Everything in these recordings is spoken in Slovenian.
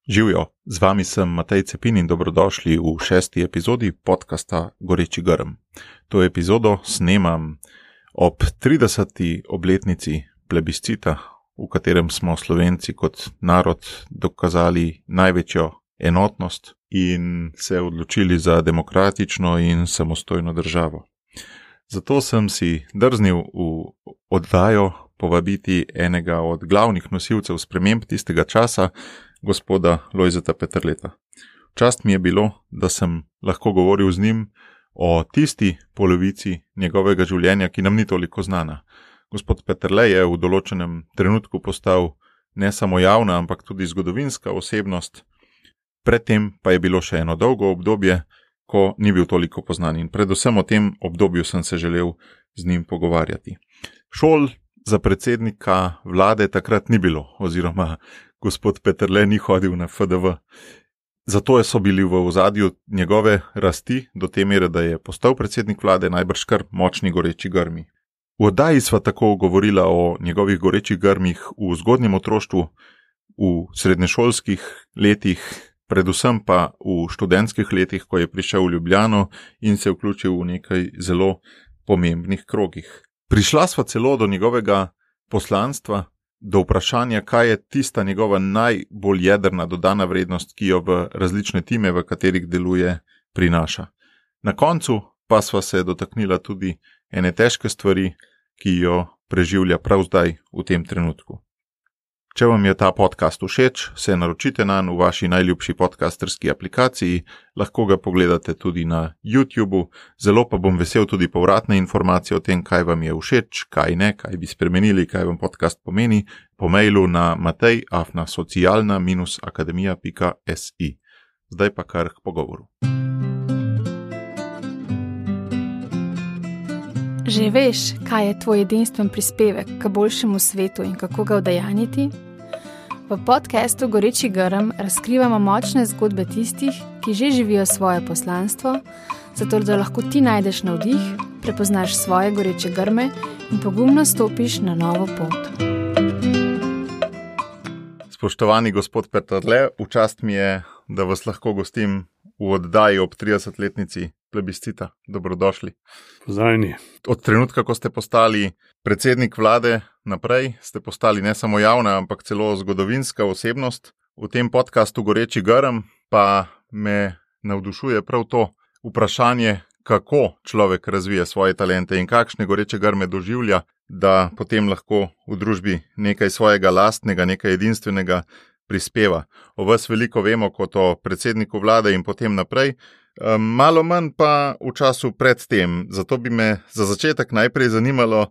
Živjo, z vami sem Matej Cepin in dobrodošli v 6. epizodi podcasta Goreči grm. To epizodo snemam ob 30. obletnici plebiscita, v katerem smo Slovenci kot narod dokazali največjo enotnost in se odločili za demokratično in samostojno državo. Zato sem si drznil v oddajo povabiti enega od glavnih nosilcev sprememb tistega časa, gospoda Lojzeta Peterleta. Čast mi je bilo, da sem lahko govoril z njim o tisti polovici njegovega življenja, ki nam ni toliko znana. Gospod Peterle je v določenem trenutku postal ne samo javna, ampak tudi zgodovinska osebnost. Predtem pa je bilo še eno dolgo obdobje, ko ni bil toliko poznan in predvsem o tem obdobju sem se želel z njim pogovarjati. Šol za predsednika vlade takrat ni bilo, oziroma gospod Peterle ni hodil na FDV. Zato so bili v ozadju njegove rasti do te mere, da je postal predsednik vlade najbrž kar močni goreči grmi. V oddaji sva tako govorila o njegovih gorečih grmih v zgodnjem otroštvu, v srednješolskih letih, predvsem pa v študentskih letih, ko je prišel v Ljubljano in se vključil v nekaj zelo pomembnih krogih. Prišla sva celo do njegovega poslanstva, do vprašanja, kaj je tista njegova najbolj jedrna dodana vrednost, ki jo v različne time, v katerih deluje, prinaša. Na koncu pa sva se dotaknila tudi ene težke stvari, ki jo preživlja prav zdaj v tem trenutku. Če vam je ta podcast všeč, se naročite nanj v vaši najljubši podcasterski aplikaciji, lahko ga pogledate tudi na YouTubeu, zelo pa bom vesel tudi povratne informacije o tem, kaj vam je všeč, kaj ne, kaj bi spremenili, kaj vam podcast pomeni, po mailu na matej@socialna-akademija.si. Zdaj pa kar k pogovoru. Že veš, kaj je tvoj edinstven prispevek k boljšemu svetu in kako ga udejanjiti? V podcastu Goreči grm razkrivamo močne zgodbe tistih, ki že živijo svoje poslanstvo, zato da lahko ti najdeš navdih, prepoznaš svoje goreče grme in pogumno stopiš na novo pot. Spoštovani gospod Peterle, v čast mi je, da vas lahko gostim v oddaji ob 30-letnici plebiscita. Dobrodošli. Pozdravljeni. Od trenutka, ko ste postali predsednik vlade naprej, ste postali ne samo javna, ampak celo zgodovinska osebnost. V tem podcastu Goreči grm pa me navdušuje prav to vprašanje, kako človek razvije svoje talente in kakšne goreče grme doživlja, da potem lahko v družbi nekaj svojega lastnega, nekaj edinstvenega prispeva. O vas veliko vemo kot o predsedniku vlade in potem naprej, malo manj pa v času pred tem. Zato bi me za začetek najprej zanimalo,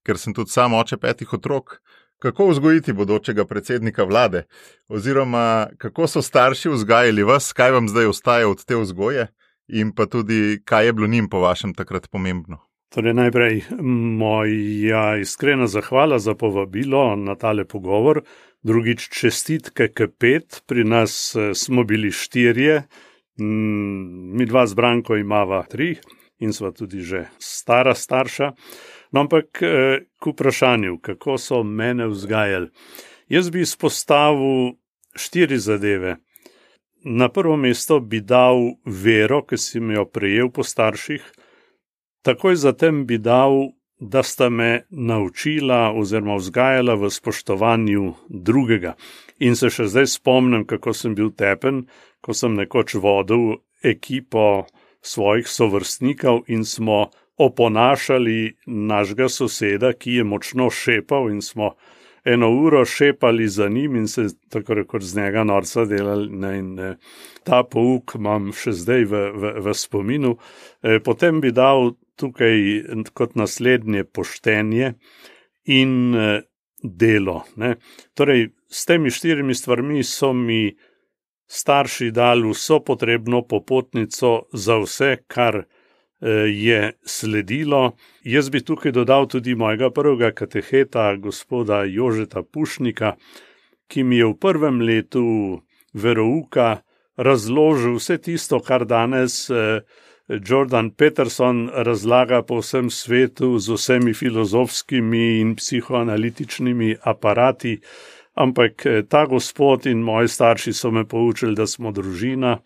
ker sem tudi sam oče 5 otrok, kako vzgojiti bodočega predsednika vlade, oziroma kako so starši vzgajali vas, kaj vam zdaj ostaje od te vzgoje in pa tudi, kaj je bilo njim po vašem takrat pomembno. Torej najprej moja iskrena zahvala za povabilo na tale pogovor. Drugič čestitke k 5, pri nas smo bili 4, mi 2 z Branko imava 3 in sva tudi že starša. No, ampak k vprašanju, kako so mene vzgajali. Jaz bi izpostavil 4 zadeve. Na prvo mesto bi dal vero, ki si mi jo prejel po starših. Takoj zatem bi dal, da sta me naučila oziroma vzgajala v spoštovanju drugega. In se še zdaj spomnim, kako sem bil tepen, ko sem nekoč vodil ekipo svojih sovrstnikov in smo oponašali našega soseda, ki je močno šepal in smo 1 uro šepali za njim in se tako rekoč z njega norca delali. In ta pouk imam še zdaj v spominu. Potem bi dal tukaj kot naslednje poštenje in delo. Torej, s temi 4 stvarmi so mi starši dali vso potrebno popotnico za vse, kar je sledilo. Jaz bi tukaj dodal tudi mojega prvega kateheta, gospoda Jožeta Pušnika, ki mi je v 1. letu verouka razložil vse tisto, kar danes Jordan Peterson razlaga po vsem svetu z vsemi filozofskimi in psihoanalitičnimi aparati. ampak ta gospod in moji starši so me poučili, da smo družina,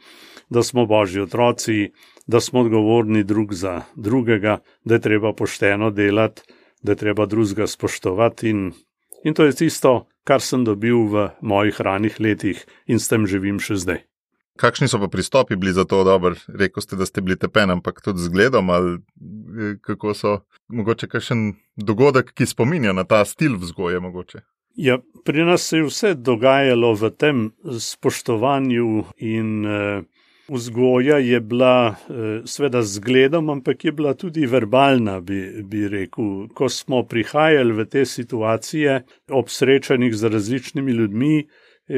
da smo božji otroci, da smo odgovorni drug za drugega, da je treba pošteno delati, da je treba drugega spoštovati in to je tisto, kar sem dobil v mojih ranih letih in s tem živim še zdaj. Kakšni so pa pristopi bili za to dobro? Rekli ste, da ste bili tepen, ampak tudi z gledom ali kako so, mogoče kakšen dogodek, ki spominja na ta stil vzgoje mogoče? Ja, pri nas se je vse dogajalo v tem spoštovanju in vzgoja je bila seveda z gledom, ampak je bila tudi verbalna, bi rekel. Ko smo prihajali v te situacije ob srečanjih z različnimi ljudmi,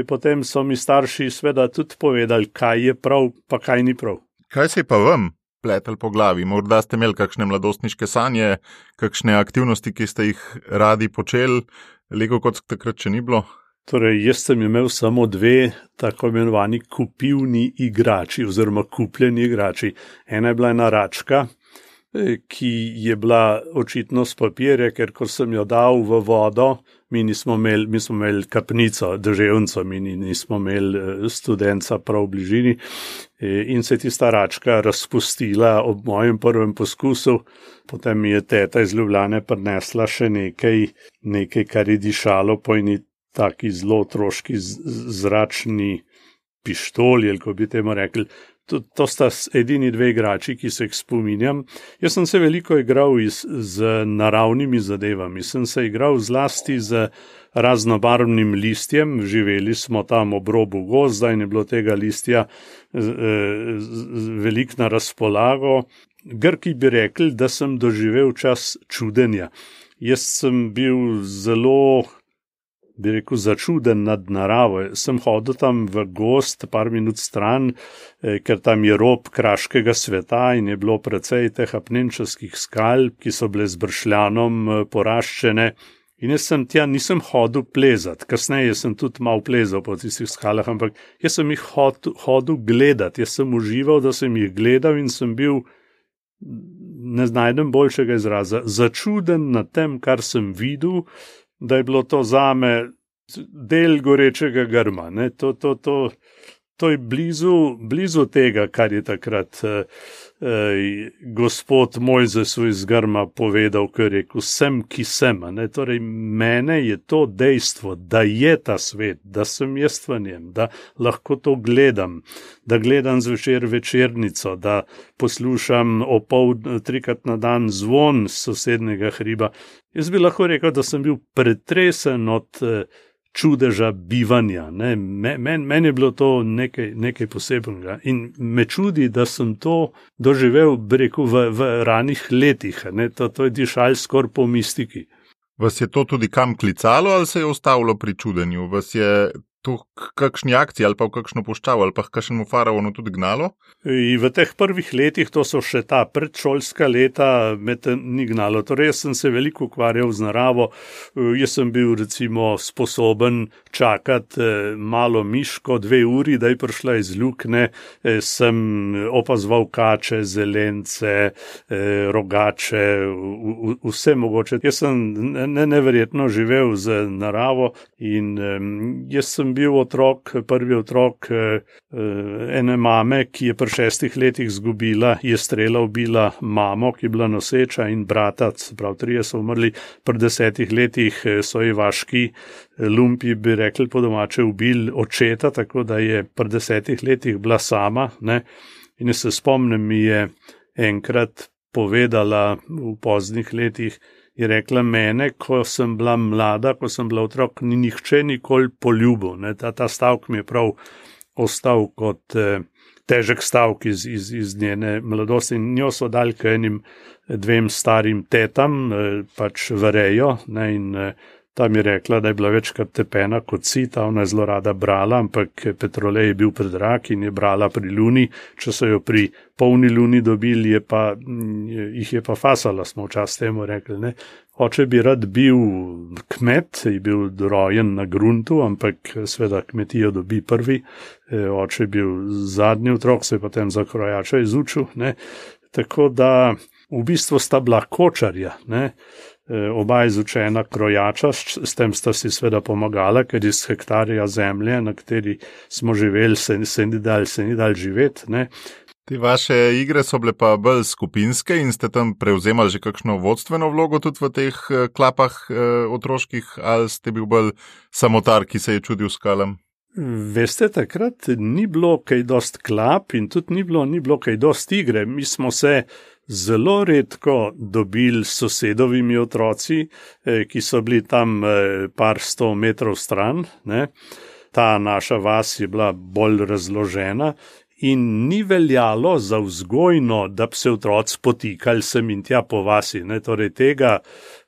potem so mi starši seveda tudi povedali, kaj je prav, pa kaj ni prav. Kaj se je pa vam pletalo po glavi? Morda ste imeli kakšne mladostniške sanje, kakšne aktivnosti, ki ste jih radi počeli, Lego kot takrat še ni bilo? Torej, jaz sem imel samo 2 tako imenovani kupivni igrači oziroma kupljeni igrači. Ena je bila ena račka, ki je bila očitno s papirja, ker ko sem jo dal v vodo, mi smo imeli kapnico, deževnico, mi nismo imeli studenca prav v bližini in se je tista račka razpustila ob mojem prvem poskusu. Potem mi je teta iz Ljubljane prinesla še nekaj, kar je dišalo po eni taki zelo otroški zračni pištoli, ali ko bi temu rekli. To sta edini 2 igrači, ki se jih spominjam. Jaz sem se veliko igral z naravnimi zadevami. Sem se igral zlasti z raznobarvnim listjem. Živeli smo tam ob robu gozda in je bilo tega listja veliko na razpolago. Grki bi rekli, da sem doživel čas čudenja. Jaz sem bil zelo, bi rekel, začuden nad naravo. Sem hodil tam v gozd, par minut stran, ker tam je rob kraškega sveta in je bilo precej teh apnenčarskih skal, ki so bile z bršljanom poraščene. In jaz sem tja nisem hodil plezati. Kasneje sem tudi malo plezal po tistih skalah, ampak jaz sem jih hodil gledati. Jaz sem užival, da sem jih gledal in sem bil, ne najdem boljšega izraza, začuden nad tem, kar sem videl, da je bilo to zame del gorečega grma. Ne? To je blizu tega, kar je takrat gospod Mojzes iz grma povedal, ko je rekel, sem, ki sem. Ne? Torej, mene je to dejstvo, da je ta svet, da sem jaz v njem, da lahko to gledam, da gledam zvečer večernico, da poslušam 3-krat na dan zvon z sosednjega hriba. Jaz bi lahko rekel, da sem bil pretresen od čudeža bivanja. Meni je bilo to nekaj posebnega in me čudi, da sem to doživel, bi rekel, v ranih letih. To je dišalo skoraj po mistiki. Vas je to tudi kam klicalo ali se je ustavilo pri čudenju? Vas je to kakšni akciji ali pa v kakšno puščavo ali pa kakšnemu faraonu tudi gnalo? In v teh prvih letih, to so še ta predšolska leta, me ni gnalo. Torej, jaz sem se veliko ukvarjal z naravo. Jaz sem bil recimo sposoben čakati malo miško 2 uri, da je prišla iz lukne. Sem opazoval kače, zelence, rogače, vse mogoče. Jaz sem neverjetno živel z naravo in jaz sem bil prvi otrok ene mame, ki je pri 6 letih izgubila, je strela ubila mamo, ki je bila noseča, in brata, prav 3 so umrli. Pri 10 letih so ji vaški lumpi, bi rekli po domače, ubili očeta, tako da je pri 10 letih bila sama. Ne? In se spomnim, mi je enkrat povedala v poznih letih, je rekla, mene, ko sem bila mlada, ko sem bila otrok, ni nihče nikoli poljubil. Ta stavek mi je prav ostal kot težek stavek iz njene mladosti. In njo so dali k enim 2 starim tetam, pač varejo, in tam je rekla, da je bila večkrat tepena kot sita, ona je zelo rada brala, ampak petrolej je bil predrag in je brala pri luni. Če so jo pri polni luni dobili, jih je pa fasala, smo včasih temu rekli. Ne? Oče bi rad bil kmet, je bil rojen na gruntu, ampak seveda kmetijo dobi prvi. Oče je bil zadnji otrok, se je potem za krojača izučil. Ne? Tako da v bistvu sta bila kočarja. Ne? oba izučena krojača, s tem sta si seveda pomagala, ker iz hektarja zemlje, na kateri smo živeli, se ni dal živeti, ne. Te vaše igre so bile pa bolj skupinske in ste tam prevzemali že kakšno vodstveno vlogo tudi v teh klapah otroških, ali ste bil bolj samotar, ki se je čudil skalam? Veste, takrat ni bilo kaj dost klap in tudi ni bilo kaj dost igre. Mi smo se zelo redko dobili s sosedovimi otroci, ki so bili tam par 100 metrov stran, ne. Ta naša vas je bila bolj razložena in ni veljalo za vzgojno, da bi se otroci potikali sem in tja po vasi, ne. Torej tega,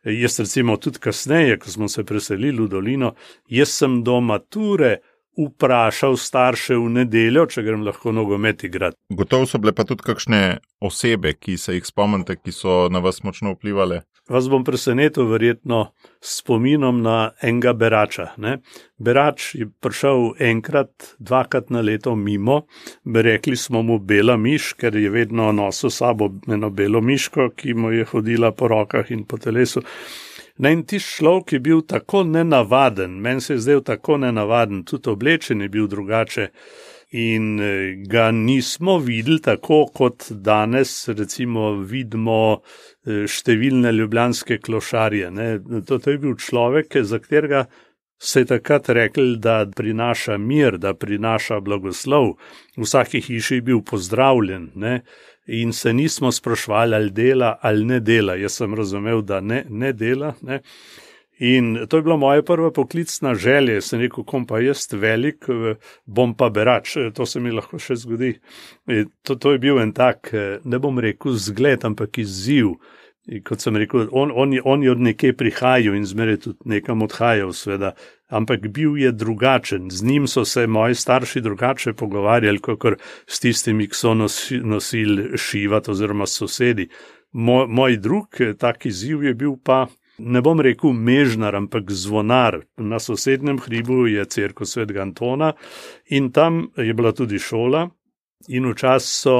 jaz recimo tudi kasneje, ko smo se preselili v dolino, jaz sem do mature vprašal starše v nedeljo, če grem lahko nogomet igrati. Gotovo so bile pa tudi kakšne osebe, ki se jih spomnite, ki so na vas močno vplivali. Vas bom presenetil verjetno s spominom na enega berača, ne. Berač je prišel enkrat, dvakrat na leto mimo, rekli smo mu bela miš, ker je vedno nosil sabo eno belo miško, ki mu je hodila po rokah in po telesu. In ti človek je bil tako nenavaden, meni se je zdel tako nenavaden, tudi oblečen je bil drugače in ga nismo videli tako, kot danes recimo vidimo številne ljubljanske klošarje, ne. To je bil človek, za katerega se je takrat rekli, da prinaša mir, da prinaša blagoslov. V vsaki hiši je bil pozdravljen, ne. In se nismo sprašvali, ali dela ali ne dela. Jaz sem razumel, da ne dela, ne. In to je bila moja prva poklicna želja. Sem rekel, kom pa jaz velik, bom pa berač. To se mi lahko še zgodi. To je bil en tak, ne bom rekel zgled, ampak izziv. Kot sem rekel, on je od nekje prihajal in zmeraj tudi nekam odhajal, sveda. Ampak bil je drugačen. Z njim so se moji starši drugače pogovarjali, kakor s tistimi, ki so nosili šivat oziroma sosedi. Moj drug tak izziv je bil pa, ne bom rekel mežnar, ampak zvonar. Na sosednjem hribu je cerkev Svetega Antona in tam je bila tudi šola in včasih so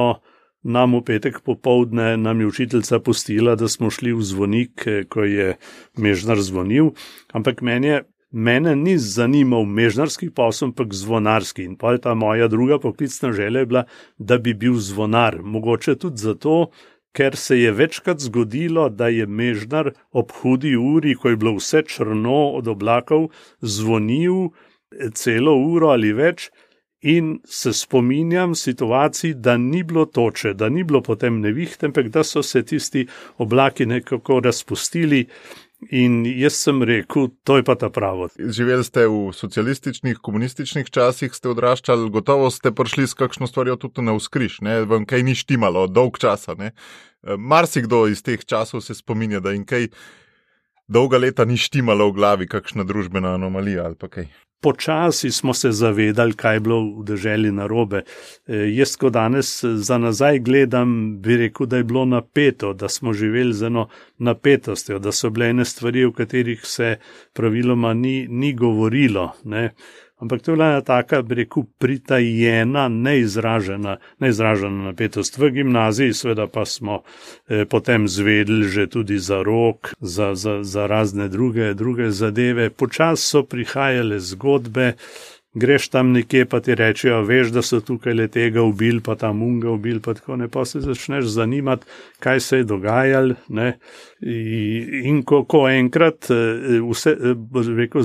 nam v petek popoldne nam je učiteljica pustila, da smo šli v zvonik, ko je mežnar zvonil, ampak mene ni zanimal mežnarski posel, ampak zvonarski. In pa je ta moja druga poklicna želja bila, da bi bil zvonar. Mogoče tudi zato, ker se je večkrat zgodilo, da je mežnar ob hudi uri, ko je bilo vse črno od oblakov, zvonil celo uro ali več. In se spominjam situacij, da ni bilo toče, da ni bilo potem nevihte, ampak da so se tisti oblaki nekako razpustili in jaz sem rekel, to je pa ta pravo. Živeli ste v socialističnih, komunističnih časih, ste odraščali, gotovo ste prišli s kakšno stvarjo tudi na vzkriž, ne, vam kaj ni štimalo, dolg časa, ne. Marsikdo iz teh časov se spominja, da jim kaj dolga leta ni štimalo v glavi, kakšna družbena anomalija ali pa kaj. Počasi smo se zavedali, kaj je bilo v deželi narobe. Jaz, ko danes za nazaj gledam, bi rekel, da je bilo napeto, da smo živeli z eno napetostjo, da so bile ene stvari, o katerih se praviloma ni govorilo, ne. Ampak to je bila ena taka, bi rekel, pritajena, neizražena napetost. V gimnaziji seveda pa smo potem zvedeli že tudi za rok, za razne druge zadeve. Počasi so prihajale zgodbe, greš tam nekje, pa ti rečejo, veš, da so tukaj le tega ubili, pa tam unga ubili, pa tako ne, pa se začneš zanimati, kaj se je dogajalo, ne. In ko enkrat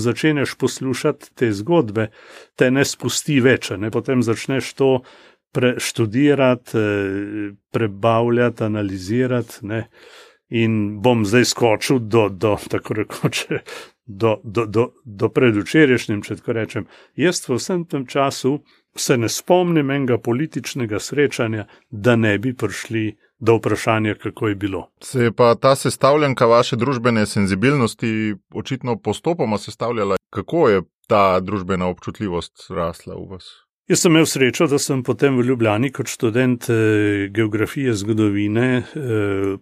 začeneš poslušati te zgodbe, te ne spusti več, ne, potem začneš to študirati, prebavljati, analizirati, ne. In bom zdaj skočil do tako rekoče, do predvčerajšnjim, če tako rečem. Jaz v vsem tem času se ne spomnim enega političnega srečanja, da ne bi prišli do vprašanja, kako je bilo. Se je pa ta sestavljanka vaše družbene senzibilnosti očitno postopoma sestavljala. Kako je ta družbena občutljivost rasla v vas? Jaz sem imel srečo, da sem potem v Ljubljani kot študent geografije, zgodovine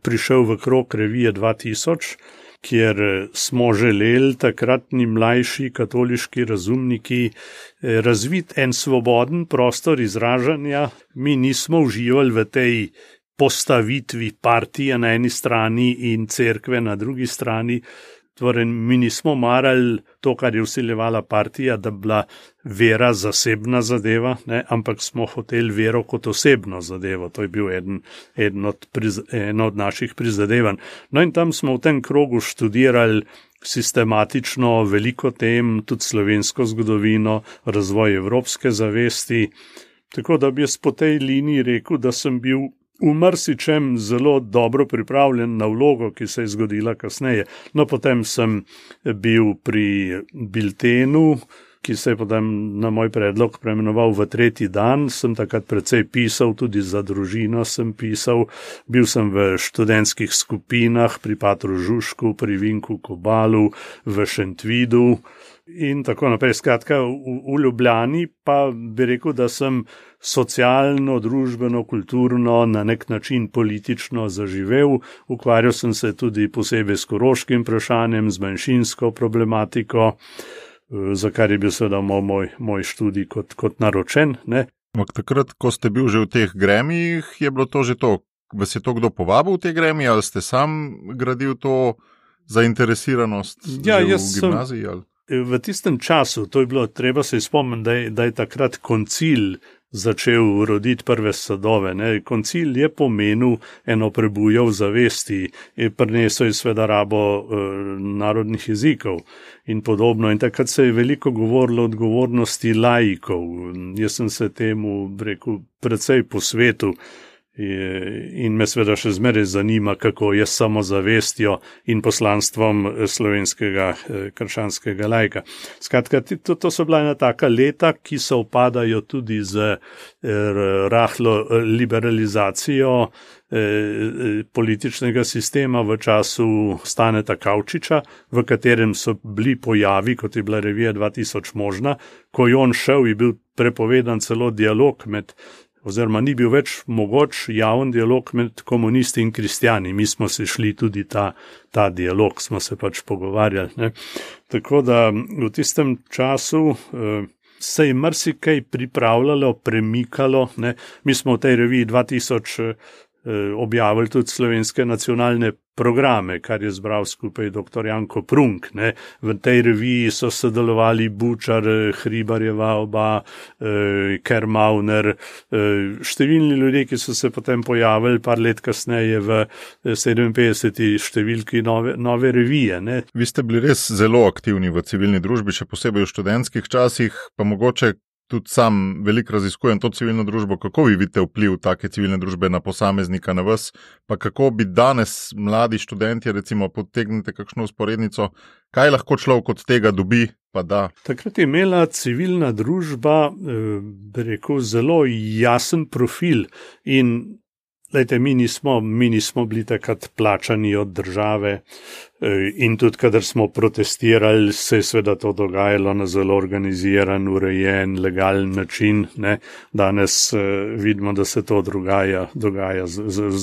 prišel v krog revije 2000, kjer smo želeli takratni mlajši katoliški razumniki razviti en svoboden prostor izražanja. Mi nismo uživali v tej postavitvi partije na eni strani in cerkve na drugi strani. Torej, mi nismo marali to, kar je vsiljevala partija, da bila vera zasebna zadeva, ne, ampak smo hoteli vero kot osebno zadevo. To je bil eno od naših prizadevanj. No in tam smo v tem krogu študirali sistematično veliko tem, tudi slovensko zgodovino, razvoj evropske zavesti. Tako da bi jaz po tej liniji rekel, da sem bil v marsičem zelo dobro pripravljen na vlogo, ki se je zgodila kasneje. No, potem sem bil pri Biltenu, ki se je potem na moj predlog preimenoval v Tretji dan. Sem takrat precej pisal, tudi za družino sem pisal. Bil sem v študentskih skupinah pri Patru Žužku, pri Vinku Kobalu, v Šentvidu in tako naprej. Skratka, v Ljubljani pa bi rekel, da sem socialno, družbeno, kulturno, na nek način politično zaživel. Ukvarjal sem se tudi posebej s koroškim vprašanjem, z manjšinsko problematiko, za kar je bil seveda moj študij kot naročen. Ne. Takrat, ko ste bil že v teh gremijih, je bilo to že to? Vas je to kdo povabil v te gremije, ali ste sam gradil to zainteresiranost v gimnaziji? V tistem času, to je bilo, treba se spomniti, da je takrat koncil začel roditi prve sadove. Ne. Koncil je pomenil eno prebujo v zavesti, prinesel je seveda rabo narodnih jezikov in podobno. In takrat se je veliko govorilo o odgovornosti laikov. Jaz sem se temu, rekel, precej posvetil in me seveda še zmeraj zanima, kako je s samozavestjo in poslanstvom slovenskega krščanskega laika. Skratka, to so bila ena taka leta, ki se upadajo tudi z rahlo liberalizacijo političnega sistema v času Staneta Kavčiča, v katerem so bili pojavi, kot je bila revija 2000 možna. Ko je on šel, je bil prepovedan celo dialog oziroma ni bil več mogoč javen dialog med komunisti in kristjani. Mi smo se šli tudi ta dialog, smo se pač pogovarjali. Ne. Tako da v tistem času se je marsikaj pripravljalo, premikalo. Ne. Mi smo v tej reviji 2000 objavili tudi slovenske nacionalne programe, kar je zbral skupaj dr. Janko Prunk. Ne. V tej reviji so sodelovali Bučar, Hribarjeva oba, Kermauner, številni ljudje, ki so se potem pojavili par let kasneje v 57. številki nove revije. Ne. Vi ste bili res zelo aktivni v civilni družbi, še posebej v študentskih časih, pa mogoče tudi sam veliko raziskujem to civilno družbo. Kako vi vidite vpliv take civilne družbe na posameznika, na vas, pa kako bi danes mladi študenti, recimo, potegnite kakšno usporednico, kaj lahko človek od tega dobi, pa da? Takrat je imela civilna družba, bi rekel, zelo jasen profil in lejte, mi nismo bili takrat plačani od države in tudi, kadar smo protestirali, se je seveda to dogajalo na zelo organiziran, urejen, legalen način. Ne. Danes vidimo, da se to dogaja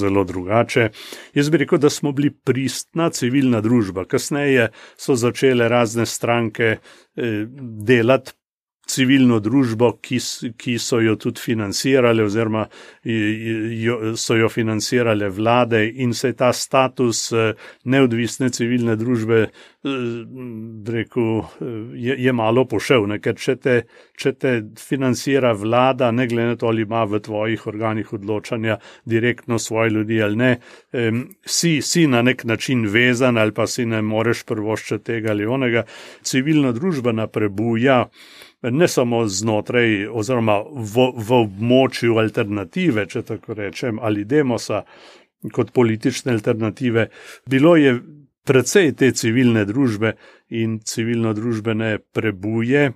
zelo drugače. Jaz bi rekel, da smo bili pristna civilna družba. Kasneje so začele razne stranke delati civilno družbo, ki so jo tudi financirale oziroma so jo financirale vlade in se je ta status neodvisne civilne družbe, rekel, je malo pošel, ne? Ker če te financira vlada, ne glede na to, ali ima v tvojih organih odločanja direktno svoje ljudi ali ne, si na nek način vezan ali pa si ne moreš privoščiti tega ali onega. Civilna družba prebuja ne samo znotraj oziroma v območju alternative, če tako rečem, ali demosa kot politične alternative. Bilo je precej te civilne družbe in civilno-družbene prebuje.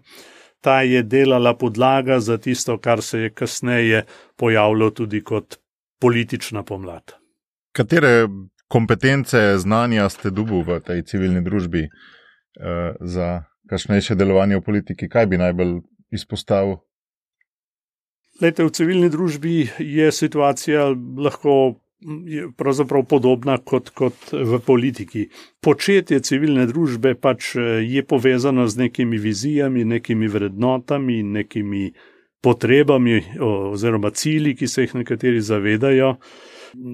Ta je delala podlaga za tisto, kar se je kasneje pojavilo tudi kot politična pomlad. Katere kompetence, znanja ste dobili v tej civilni družbi za kasnejše delovanje v politiki? Kaj bi najbolj izpostavil? Lejte, v civilni družbi je situacija lahko pravzaprav podobna kot v politiki. Početje civilne družbe pač je povezano z nekimi vizijami, nekimi vrednotami, nekimi potrebami oziroma cilji, ki se jih nekateri zavedajo.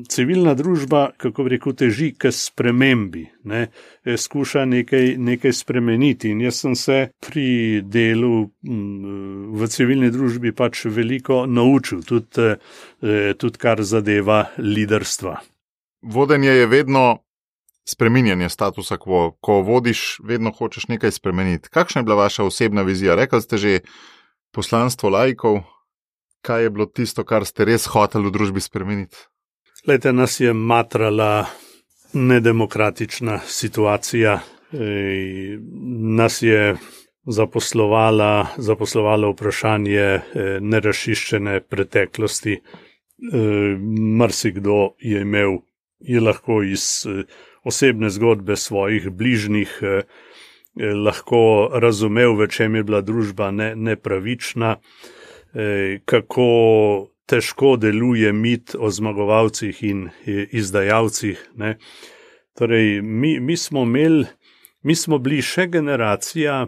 civilna družba, kako bi rekel, teži k spremembi, ne, skuša nekaj spremeniti. In jaz sem se pri delu v civilni družbi pač veliko naučil, tudi kar zadeva liderstva. Vodenje je vedno spreminjanje statusa quo. Ko vodiš, vedno hočeš nekaj spremeniti. Kakšna je bila vaša osebna vizija? Rekli ste že poslanstvo laikov. Kaj je bilo tisto, kar ste res hoteli v družbi spremeniti? Glejte, nas je matrala nedemokratična situacija. Nas je zaposlovalo vprašanje nerašiščene preteklosti. Marsikdo je lahko iz osebne zgodbe svojih bližnjih lahko razumel, v čem je bila družba nepravična, kako težko deluje mit o zmagovalcih in izdajalcih. Ne. Torej, mi smo bili še generacija,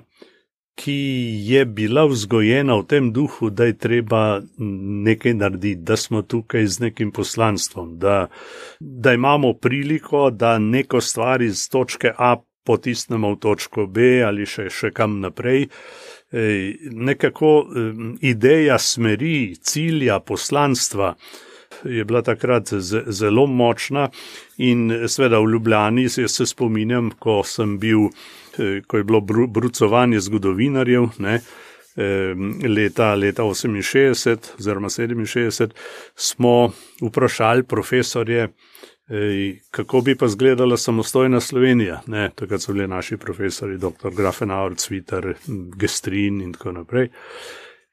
ki je bila vzgojena v tem duhu, da je treba nekaj narediti, da smo tukaj z nekim poslanstvom, da imamo priliko, da neko stvar iz točke A potisnemo v točko B ali še kam naprej. Nekako ideja smeri, cilja, poslanstva je bila takrat zelo močna in seveda v Ljubljani se spominjam, ko je bilo brucovanje zgodovinarjev, ne, leta 68 oziroma 67, smo vprašali profesorje, kako bi pa izgledala samostojna Slovenija. Ne, takrat so bili naši profesori, dr. Grafenauer, Cvitar, Gestrin in tako naprej.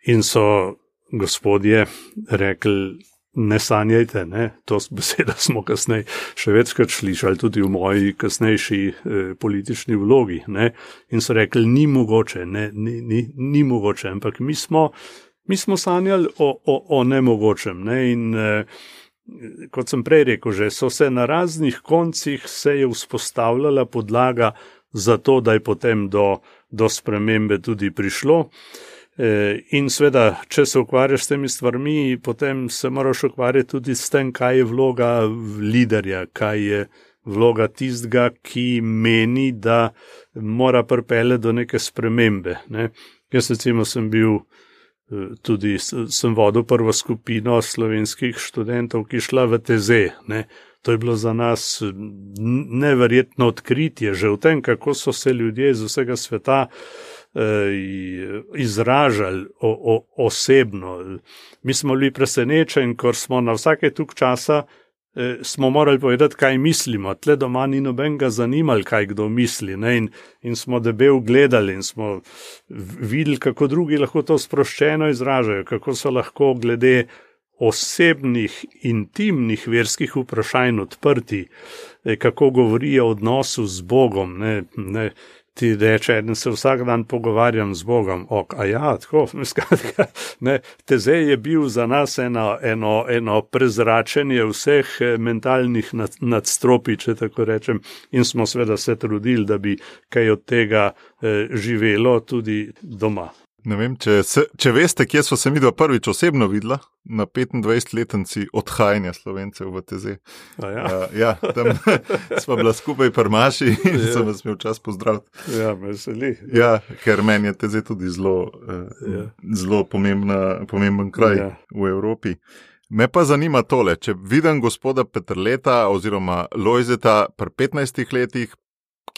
In so gospodje rekli, ne sanjajte, ne, to beseda smo kasneje še večkrat slišali, tudi v moji kasnejši politični vlogi. Ne, in so rekli, ni mogoče, ni mogoče, ampak mi smo sanjali o nemogočem. Ne, in kot sem prej rekel, že so se na raznih koncih se je vzpostavljala podlaga za to, da je potem do spremembe tudi prišlo. In seveda, če se ukvarjaš s temi stvarmi, potem se moraš ukvarjati tudi s tem, kaj je vloga liderja, kaj je vloga tistega, ki meni, da mora pripeljati do neke spremembe. Ne. Jaz recimo sem vodil prvo skupino slovenskih študentov, ki šla v TZ. Ne. To je bilo za nas neverjetno odkritje, že v tem, kako so se ljudje iz vsega sveta izražali osebno. Mi smo bili presenečeni, ker smo na vsake tuk časa smo morali povedati, kaj mislimo. Tle doma ni nobenega zanimali, kaj kdo misli. Ne? In smo debel gledali in smo videli, kako drugi lahko to sproščeno izražajo, kako so lahko glede osebnih, intimnih verskih vprašanj odprti, kako govorijo o odnosu z Bogom. Ne? Ti reče, eden se vsak dan pogovarjam z Bogom. Tako, skratka, ne, TZ je bil za nas eno prezračenje vseh mentalnih nadstropij, če tako rečem, in smo seveda se trudili, da bi kaj od tega živelo tudi doma. Ne vem, če veste, kje so se midva prvič osebno videla, na 25-letnici odhajanja Slovencev v TZ. Ja, tam smo bila skupaj pri Maši in sem vas imel čas pozdraviti. Ja, me veseli. Ja, ker meni je TZ tudi zelo pomemben kraj v Evropi. Me pa zanima tole, če vidim gospoda Peterleta oziroma Lojzeta pri 15 letih,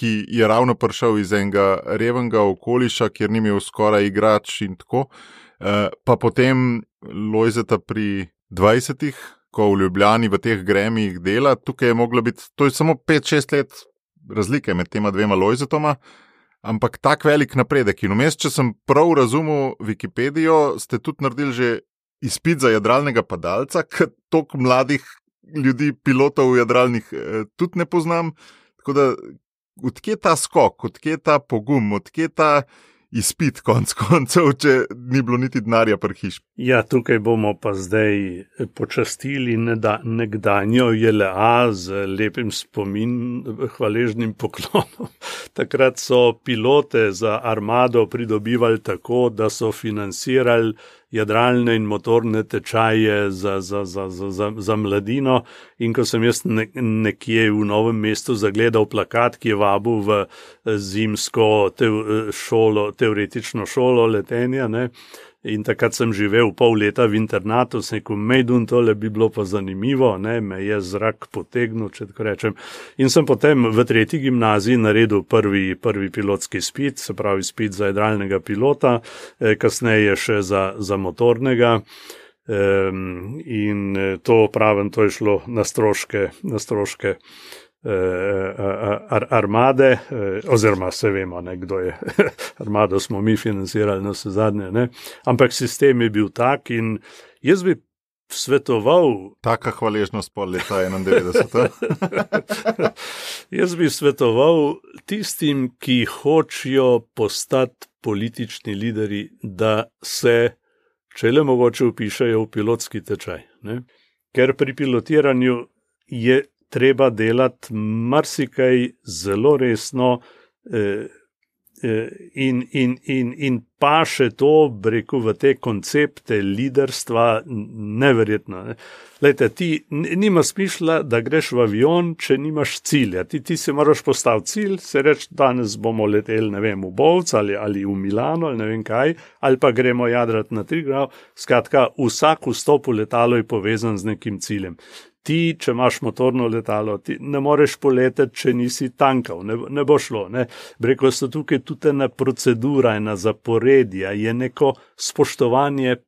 ki je ravno prišel iz enega revnega okoliša, kjer ni imel skoraj igrač in tako, pa potem Lojzeta pri 20, ko v Ljubljani v teh gremijih dela, tukaj je moglo biti, to je samo 5-6 let razlike med tema dvema Lojzetoma, ampak tak velik napredek. In vmes, če sem prav razumel Wikipedijo, ste tudi naredili že izpit za jadralnega padalca, ker toliko mladih ljudi, pilotov jadralnih tudi ne poznam, tako da odkje ta skok, odkje ta pogum, odkje ta izpit konc koncev, če ni bilo niti denarja pri hiši? Ja, tukaj bomo pa zdaj počastili nekdanjo JLA z lepim hvaležnim poklonom. Takrat so pilote za armado pridobivali tako, da so financirali jadralne in motorne tečaje za mladino. In ko sem jaz nekje v Novem mestu zagledal plakat, ki je vabil v zimsko teoretično šolo letenja, ne, in takrat sem živel pol leta v internatu, sem rekel, Mejdun, tole bi bilo pa zanimivo, ne, me je zrak potegnil, če tako rečem. In sem potem v 3. gimnaziji naredil prvi pilotski izpit, se pravi izpit za jadralnega pilota, kasneje še za motornega. In to pravim, to je šlo na stroške armade, oziroma se vemo, ne, kdo je armado smo mi financirali na vse zadnje, ne. Ampak sistem je bil tak in jaz bi svetoval... Taka hvaležnost pol leta 91. Jaz bi svetoval tistim, ki hočejo postati politični lideri, da se, če le mogoče, vpišejo v pilotski tečaj, ne. Ker pri pilotiranju je treba delati marsikaj zelo resno in pa še to, rekel, v te koncepte liderstva neverjetno. Ne. Lejte, ti nima smisla, da greš v avion, če nimaš cilja. Ti si moraš postaviti cilj, se reči, danes bomo leteli, ne vem, v Bovc ali v Milano ali ne vem kaj, ali pa gremo jadrati na Triglav. Skratka, vsak vstop v letalo je povezan z nekim ciljem. Ti, če imaš motorno letalo, ti ne moreš poleteti, če nisi tankal, ne bo šlo. Ne. Rekel so tukaj tudi ena procedura, ena zaporedja, je neko spoštovanje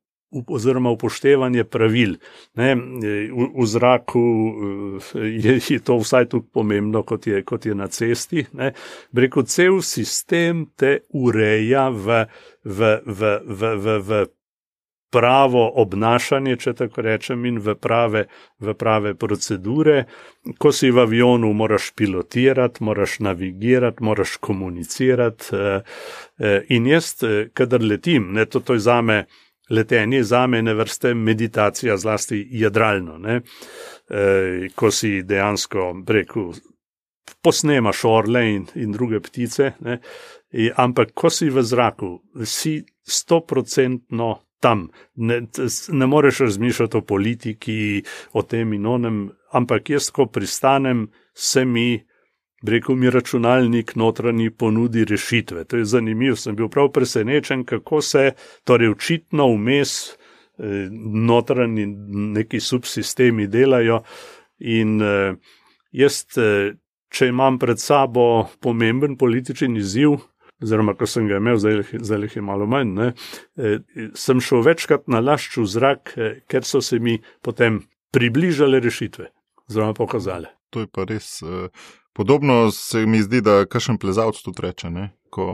oziroma upoštevanje pravil. Ne. V zraku je to vsaj tako pomembno, kot je na cesti. Ne. Rekel, cel sistem te ureja v pravo obnašanje, če tako rečem, in v prave procedure. Ko si v avionu, moraš pilotirati, moraš navigirati, moraš komunicirati. In jaz, kadar letim, ne, to je zame, letenje zame ene vrste meditacija, zlasti jadralno, ne. Ko si dejansko, rekel, posnemaš orle in druge ptice, ne. Ampak ko si v zraku, si 100% tam. Ne moreš razmišljati o politiki, o tem in onem, ampak jaz, ko pristanem, se mi, rekel, mi računalnik notranji ponudi rešitve. To je zanimivo, sem bil prav presenečen, kako se, torej očitno vmes notranji neki subsistemi delajo in jaz, če imam pred sabo pomemben političen izziv, oziroma ko sem ga imel, zdaj je malo manj, ne, sem šel večkrat na lašč v zrak, ker so se mi potem približale rešitve, oziroma pokazale. To je pa res podobno, se mi zdi, da kakšen plezalec tudi reče, ne, ko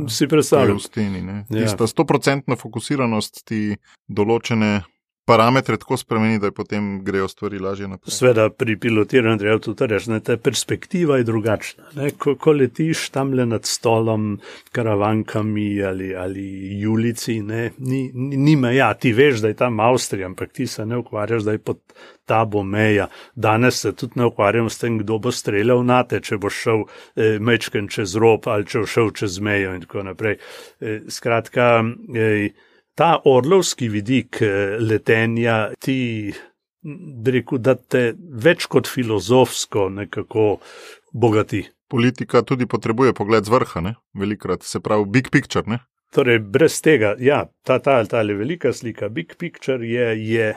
si predstavljam. Je v steni. Ne. Ja. Tista 100% fokusiranost ti določene parametre tako spremeni, da potem grejo stvari lažje naprej. Sveda pri pilotiranju treba tudi reči, ne, ta perspektiva je drugačna. Ne. Ko letiš tamle nad stolom, karavankami ali Julici, ne, ni meja. Ti veš, da je tam Avstrija, ampak ti se ne ukvarjaš, da je pod tabo meja. Danes se tudi ne ukvarjam s tem, kdo bo streljal nate, če bo šel mečken čez rob ali če bo šel čez mejo in tako naprej. Skratka, ta orlovski vidik letenja ti, rekel, da te več kot filozofsko nekako bogati. Politika tudi potrebuje pogled z vrha, ne? Velikrat, se pravi big picture, ne? Torej, brez tega, ja, ta velika slika, big picture je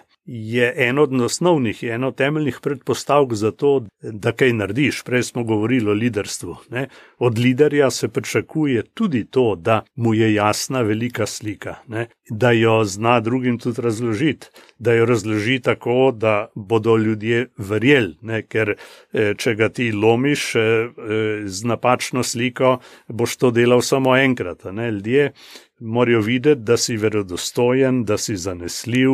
eno od osnovnih, je eno temeljnih predpostavk za to, da kaj narediš. Prej smo govorili o liderstvu. Ne? Od liderja se pričakuje tudi to, da mu je jasna velika slika, ne? Da jo zna drugim tudi razložiti, da jo razloži tako, da bodo ljudje verjeli, ne? Ker če ga ti lomiš z napačno sliko, boš to delal samo enkrat. Ne? Ljudje morajo videti, da si verodostojen, da si zanesljiv,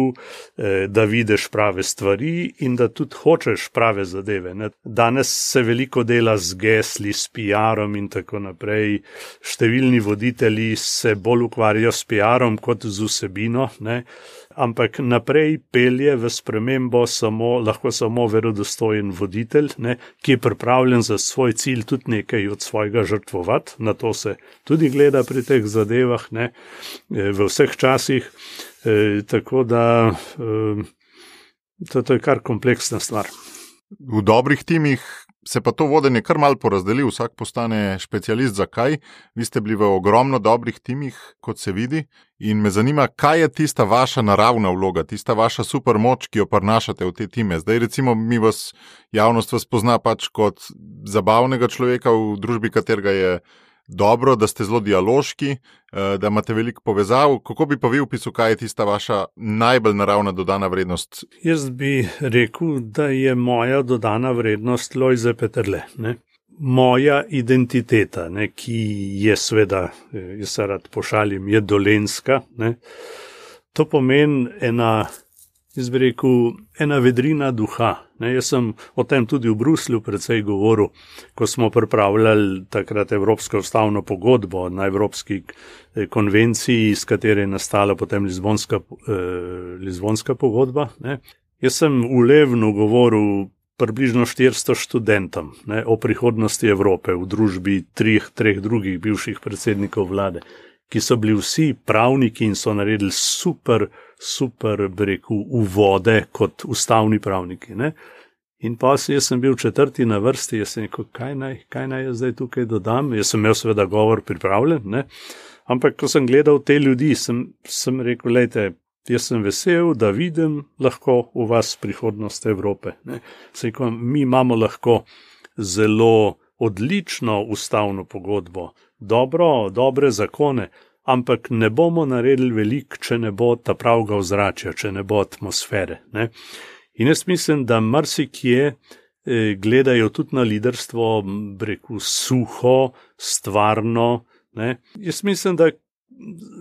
da vidiš prave stvari in da tudi hočeš prave zadeve. Ne? Danes se veliko dela z gesli, s PR-om in tako naprej. Številni voditelji se bolj ukvarjajo s PR-om kot z vsebino, ne? ampak naprej pelje v spremembo lahko samo verodostojen voditelj, ne, ki je pripravljen za svoj cilj tudi nekaj od svojega žrtvovati. Na to se tudi gleda pri teh zadevah, ne, v vseh časih. Tako da to je kar kompleksna stvar. V dobrih timih se pa to vodenje kar malo porazdeli, vsak postane specialist. Zakaj? Vi ste bili v ogromno dobrih timih, kot se vidi, in me zanima, kaj je tista vaša naravna vloga, tista vaša super moč, ki jo prinašate v te time. Zdaj recimo javnost vas pozna pač kot zabavnega človeka v družbi, katerega je dobro, da ste zelo dialoški, da imate veliko povezav. Kako bi pa vi opisal, kaj je tista vaša najbolj naravna dodana vrednost? Jaz bi rekel, da je moja dodana vrednost Lojze Peterle. Ne? Moja identiteta, ne, ki je seveda, jaz se rad pošalim, je dolenjska. Ne? To pomeni ena vedrina duha. Ne, jaz sem o tem tudi v Bruslju precej govoril, ko smo pripravljali takrat Evropsko ustavno pogodbo na Evropski konvenciji, iz katere je nastala potem Lizbonska pogodba. Ne. Jaz sem v Levnu govoril približno 400 študentom, ne, o prihodnosti Evrope v družbi treh drugih bivših predsednikov vlade, ki so bili vsi pravniki in so naredili super, uvode kot ustavni pravniki. Ne? In pa jaz sem bil 4. na vrsti, jaz sem rekel, kaj naj jaz zdaj tukaj dodam, jaz sem imel seveda govor pripravljen, ne? Ampak ko sem gledal te ljudi, sem rekel, lejte, jaz sem vesel, da vidim lahko v vas prihodnost Evrope. Ne? Rekel, mi imamo lahko zelo odlično ustavno pogodbo, dobre zakone, ampak ne bomo naredili veliko, če ne bo ta pravega ozračja, če ne bo atmosfere. Ne? In jaz mislim, da marsikje gledajo tudi na liderstvo, suho, stvarno. Ne? Jaz mislim, da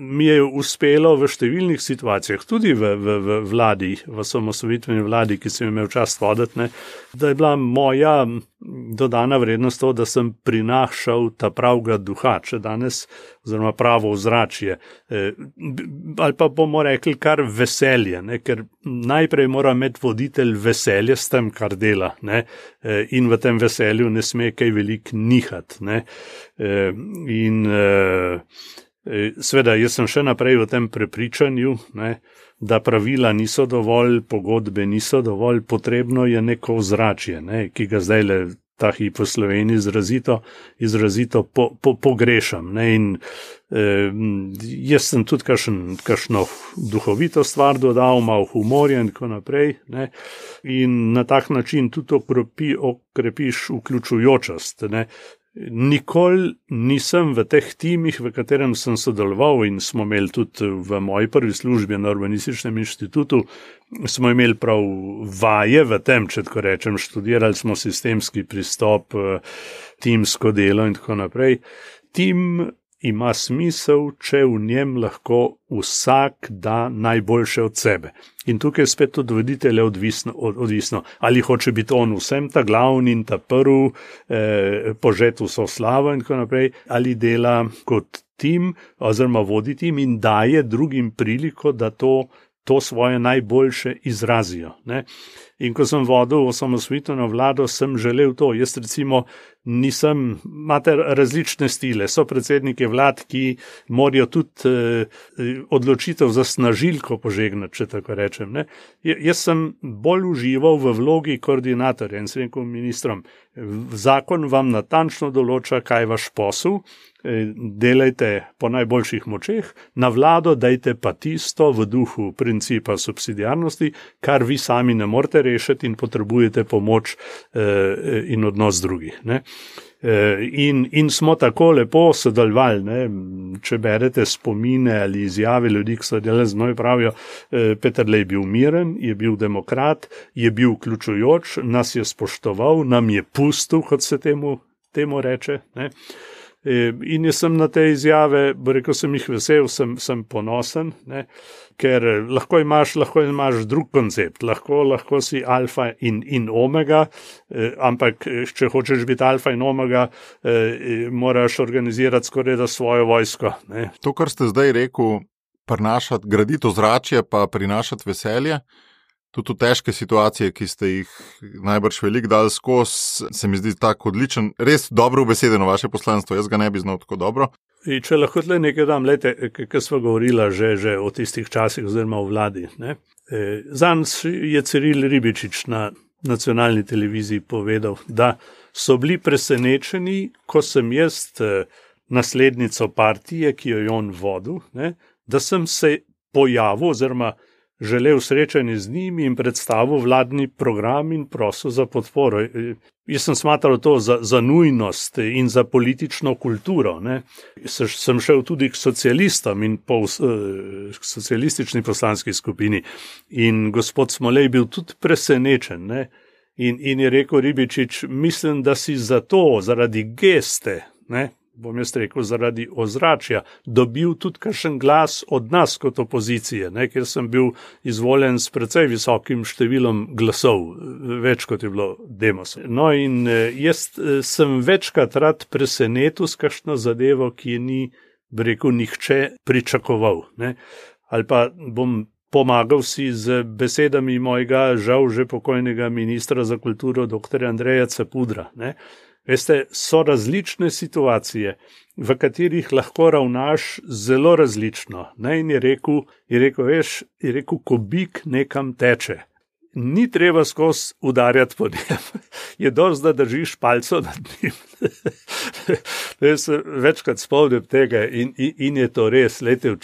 mi je uspelo v številnih situacijah, tudi v vladi, v osamosvojitveni vladi, ki sem imel čast voditi, ne, da je bila moja dodana vrednost to, da sem prinašal ta pravega duha, če danes, oziroma pravo ozračje, ali pa bomo rekli kar veselje, ne, ker najprej mora imeti voditelj veselje s tem, kar dela, ne, in v tem veselju ne sme kaj veliko nihati. Ne, seveda, jaz sem še naprej v tem prepričanju, ne, da pravila niso dovolj, pogodbe niso dovolj, potrebno je neko ozračje, ne, ki ga zdaj le ta hip v Sloveniji izrazito pogrešam. Ne, in jaz sem tudi kakšno duhovito stvar dodal, malo humorja in tako naprej. Ne, in na tak način tudi okrepiš vključujočost. Ne. Nikoli nisem v teh timih, v katerem sem sodeloval, in smo imeli tudi v moji prvi službi na Urbanističnem inštitutu, smo imeli prav vaje v tem, če tako rečem, študirali smo sistemski pristop, timsko delo in tako naprej. Tim ima smisel, če v njem lahko vsak da najboljše od sebe. In tukaj spet od voditelja odvisno, ali hoče biti on vsem ta glavni in ta prvi, požet vso slavo in tako naprej, ali dela kot tim, oziroma vodi tim in daje drugim priliko, da to svoje najboljše izrazijo. Ne? In ko sem vodil osamosvojitveno vlado, sem želel to. Jaz recimo imate različne stile, so predsedniki vlad, ki morajo tudi odločitev za snažilko požegnati, če tako rečem. Ne? Jaz sem bolj užival v vlogi koordinatorja in sem rekel ministrom, zakon vam natančno določa, kaj je vaš posel, delajte po najboljših močeh, na vlado dajte pa tisto v duhu principa subsidiarnosti, kar vi sami ne morete rešiti in potrebujete pomoč in odnos drugih. Ne? In smo tako lepo sodelovali, ne? Če berete spomine ali izjave ljudi, ki so delali z moj, pravijo, Peterle je bil miren, je bil demokrat, je bil vključujoč, nas je spoštoval, nam je pustil, kot se temu reče. Ne? In jaz sem na te izjave, rekel sem jih vesel, sem ponosen, ne? Ker lahko imaš drug koncept, lahko si alfa in omega, ampak če hočeš biti alfa in omega, moraš organizirati skoraj da svojo vojsko. Ne? To, kar ste zdaj rekel, prinašati, graditi ozračje, pa prinašati veselje. Tudi v težke situacije, ki ste jih najbrž veliko dali skozi, se mi zdi tako odličen, res dobro ubesedeno vaše poslanstvo, jaz ga ne bi znal tako dobro. In če lahko tle nekaj dam, ker smo govorila že o tistih časih oziroma o vladi. Zanj je Ciril Ribičič na nacionalni televiziji povedal, da so bili presenečeni, ko sem jaz naslednico partije, ki jo je on vodil, da sem se pojavil oziroma želel srečanje z njimi in predstavil vladni program in prosil za podporo. Jaz sem smatral to za nujnost in za politično kulturo. Sem šel tudi k socialistom in k socialistični poslanski skupini. In gospod Smolej bil tudi presenečen. In je rekel Ribičič, mislim, da si zaradi geste, bom jaz rekel, zaradi ozračja, dobil tudi kakšen glas od nas kot opozicije, ker sem bil izvoljen s precej visokim številom glasov, več kot je bilo Demosa. No in jaz sem večkrat rad presenetil s kakšno zadevo, ki je ni, rekel, nihče pričakoval. Ali pa bom pomagal si z besedami mojega žal že pokojnega ministra za kulturo, dr. Andreja Capudra. Veste, so različne situacije, v katerih lahko ravnaš zelo različno. In je rekel, ko bik nekam teče. Ni treba skozi udarjati po njem. Je dosti, da držiš palco nad njim. Jaz se večkrat spomnim tega in je to res. Lejte,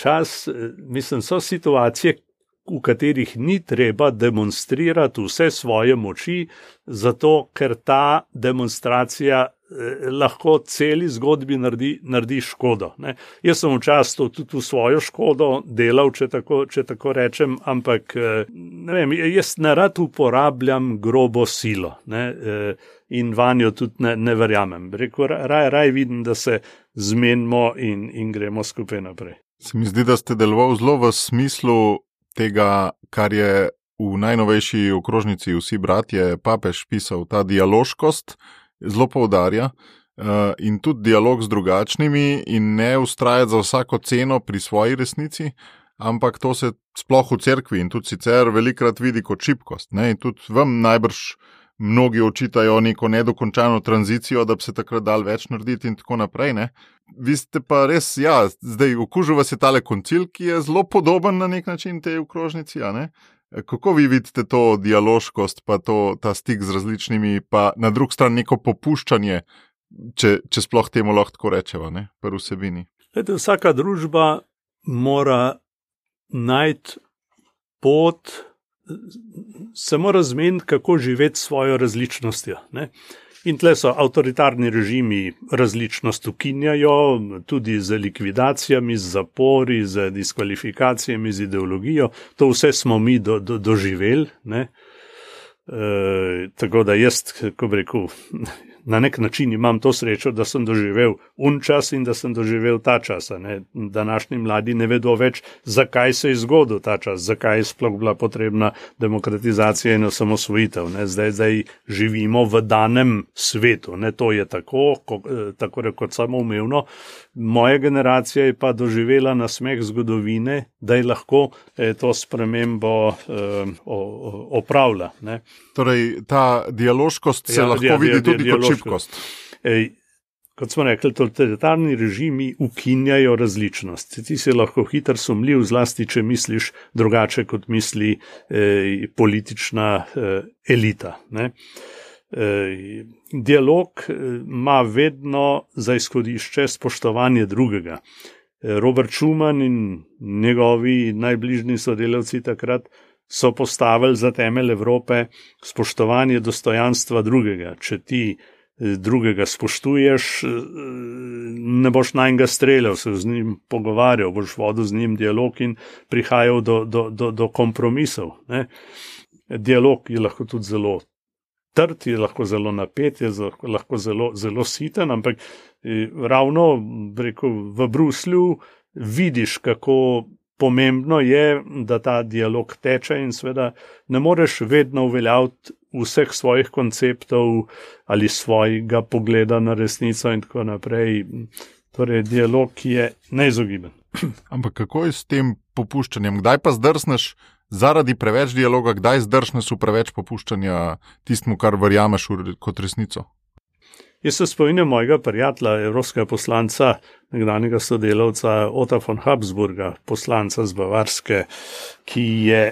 mislim, so situacije, v katerih ni treba demonstrirati vse svoje moči, zato ker ta demonstracija lahko celi zgodbi naredi škodo. Jaz sem včasih tudi v svojo škodo delal, če tako rečem, ampak jaz ne rad uporabljam grobo silo in vanjo tudi ne verjamem. Raj vidim, da se zmenimo in gremo skupaj naprej. Se mi zdi, da ste delovali zelo v smislu tega, kar je v najnovejši okrožnici Vsi bratje papež pisal, ta dialoškost zelo poudarja in tudi dialog z drugačnimi in ne ustrajati za vsako ceno pri svoji resnici, ampak to se sploh v cerkvi in tudi sicer velikrat vidi kot šibkost. In tudi vam najbrž mnogi očitajo neko nedokončano tranzicijo, da bi se takrat dal več narediti in tako naprej. Vi ste pa res, zdaj okužil vas je tale koncil, ki je zelo podoben na nek način tej okrožnici, Kako vi vidite to dialoškost, pa ta stik z različnimi, pa na drugi strani neko popuščanje, če sploh temu lahko tako rečeva, pri vsebini? Vsaka družba mora najti pot, se mora zmeniti, kako živeti s svojo različnostjo. In tle so avtoritarni režimi različnost ukinjajo, tudi z likvidacijami, z zapori, z diskvalifikacijami, z ideologijo. To vse smo mi doživeli. Tako da jaz, kako bi rekel, na nek način imam to srečo, da sem doživel čas in da sem doživel ta čas. Današnji mladi ne vedo več, zakaj se je zgodil ta čas, zakaj je sploh bila potrebna demokratizacija in osamosvojitev. Zdaj živimo v danem svetu. To je tako rekoč samoumevno. Moja generacija je pa doživela nasmeh zgodovine, da je lahko to spremembo opravlja. Torej, ta dialoškost se lahko vidi tudi kot šibkost. Kot smo rekli, totalitarni režimi ukinjajo različnost. Ti si lahko hitro sumljiv, zlasti, če misliš drugače, kot misli politična elita. Dialog ima vedno za izhodišče spoštovanje drugega. Robert Schuman in njegovi najbližji sodelavci takrat so postavili za temelj Evrope spoštovanje dostojanstva drugega. Če ti drugega spoštuješ, ne boš nanjega streljal, se z njim pogovarjal, boš vodil z njim dialog in prihajal do kompromisov. Dialog je lahko tudi zelo trd, je lahko zelo napet, je lahko zelo siten, ampak ravno v Bruslju vidiš, kako pomembno je, da ta dialog teče in seveda ne moreš vedno uveljaviti vseh svojih konceptov ali svojega pogleda na resnico in tako naprej. Torej, dialog je neizogiben. Ampak kako je s tem popuščanjem? Kdaj pa zdrsneš zaradi preveč dialoga, kdaj zdrsneš v preveč popuščanja tistmu, kar verjameš kot resnico? Jaz se spomnim mojega prijatelja, evropskega poslanca, nekdanjega sodelavca Ota von Habsburga, poslanca z Bavarske, ki je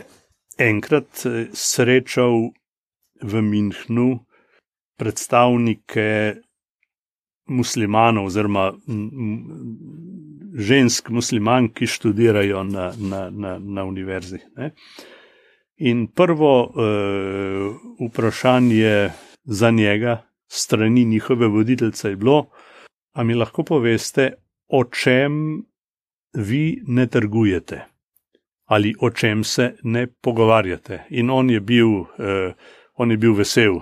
enkrat srečal v Münchnu predstavnike muslimanov oziroma žensk muslimank, ki študirajo na univerzi. Ne? In prvo vprašanje za njega strani njihove voditeljice je bilo, a mi lahko poveste, o čem vi ne trgujete ali o čem se ne pogovarjate. In on je bil vesel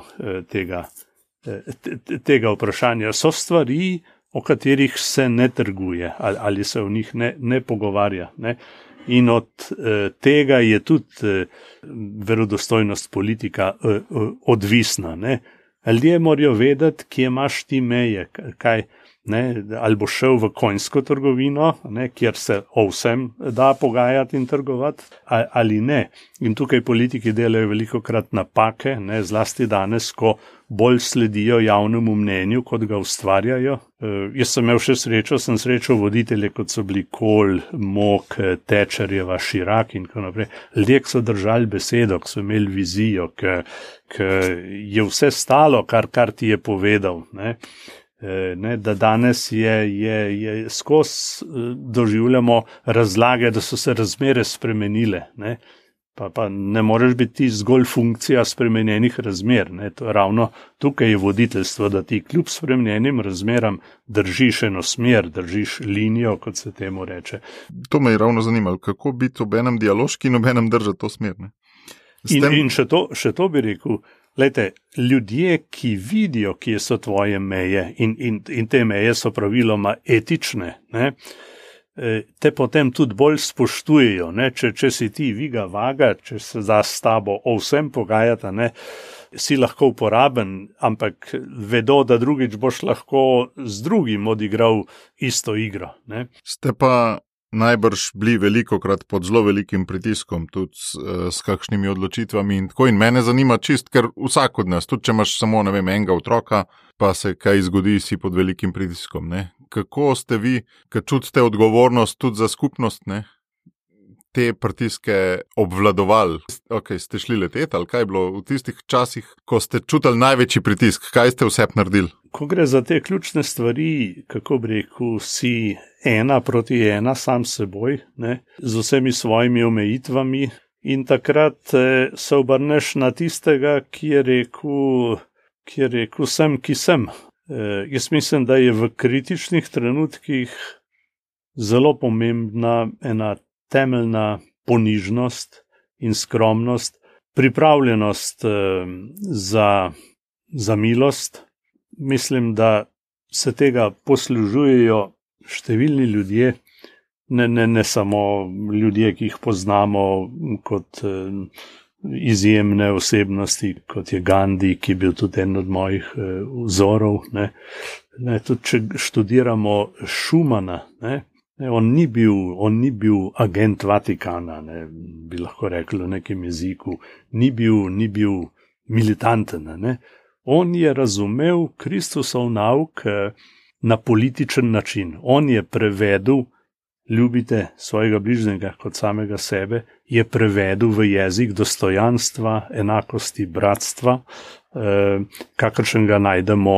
tega vprašanja. So stvari, o katerih se ne trguje ali se o njih ne pogovarja. Ne? In od tega je tudi verodostojnost politika odvisna. Ne? Ljudje morajo vedeti, kje imaš ti meje, kaj, ne? Ali boš šel v konjsko trgovino, ne? Kjer se o vsem da pogajati in trgovati, ali ne. In tukaj politiki delajo velikokrat napake, ne? Zlasti danes, ko bolj sledijo javnemu mnenju, kot ga ustvarjajo. Jaz sem imel še srečo, sem srečal voditelje, kot so bili Kohl, Mok, Thatcherjeva, Chirac in tako naprej. Ljudje, ki so držali besedo, ki so imeli vizijo, ki je vse stalo, kar ti je povedal. Ne, da danes je skozi doživljamo razlage, da so se razmere spremenile. Ne. Pa ne moreš biti ti zgolj funkcija spremenjenih razmer. Ne. Ravno tukaj je voditeljstvo, da ti kljub spremenjenim razmeram držiš eno smer, držiš linijo, kot se temu reče. To me je ravno zanimalo, kako biti ob enem dialoški in ob enem držati to smer. Ne. In še to bi rekel, glejte, ljudje, ki vidijo, kje so tvoje meje in te meje so praviloma etične, ne, te potem tudi bolj spoštujejo. Ne? Če si ti viga vaga, če se da s tabo o vsem pogajata, ne, si lahko uporaben, ampak vedo, da drugič boš lahko z drugim odigral isto igro. Ne? Ste pa najbrž bili velikokrat pod zelo velikim pritiskom, tudi s kakšnimi odločitvami in tako. In mene zanima čist, ker vsak od nas, tudi če imaš samo, enega otroka, pa se kaj zgodi, si pod velikim pritiskom. Ne? Kako ste vi, ker čutite odgovornost tudi za skupnost, ne, te pritiske obvladovali? Okay, ste šli leteti ali kaj je bilo v tistih časih, ko ste čutili največji pritisk? Kaj ste vse naredili? Ko gre za te ključne stvari, kako bi rekel, si 1:1 sam s seboj, ne, z vsemi svojimi omejitvami in takrat se obrneš na tistega, ki je rekel sem, ki sem. Jaz mislim, da je v kritičnih trenutkih zelo pomembna ena temeljna ponižnost in skromnost, pripravljenost za milost. Mislim, da se tega poslužujejo številni ljudje, ne samo ljudje, ki jih poznamo kot izjemne osebnosti, kot je Gandhi, ki je bil tudi en od mojih vzorov. Ne, tudi če študiramo Schumana, ne, on ni bil agent Vatikana, ne, bi lahko rekli v nekem jeziku, ni bil militanten. Ne. On je razumel Kristusov nauk na političen način. On je prevedel ljubite svojega bližnjega kot samega sebe, je prevedel v jezik dostojanstva, enakosti, bratstva, kakršnega najdemo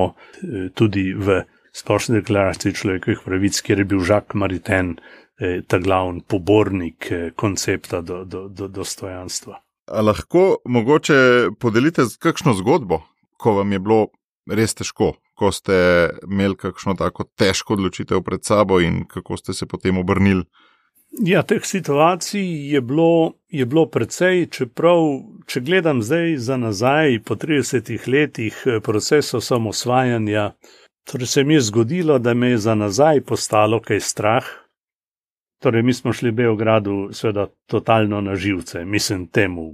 tudi v Splošni deklaraciji človekovih pravic, kjer je bil Jacques Maritain ta glavni pobornik koncepta dostojanstva. A lahko mogoče podelite kakšno zgodbo, ko vam je bilo res težko, ko ste imeli kakšno tako težko odločitev pred sabo in kako ste se potem obrnili? Ja, teh situacij je bilo precej, čeprav, če gledam zdaj za nazaj po 30 letih procesa samosvajanja, torej se mi je zgodilo, da me je za nazaj postalo kaj strah. Torej, mi smo šli Beogradu seveda totalno na živce, mislim temu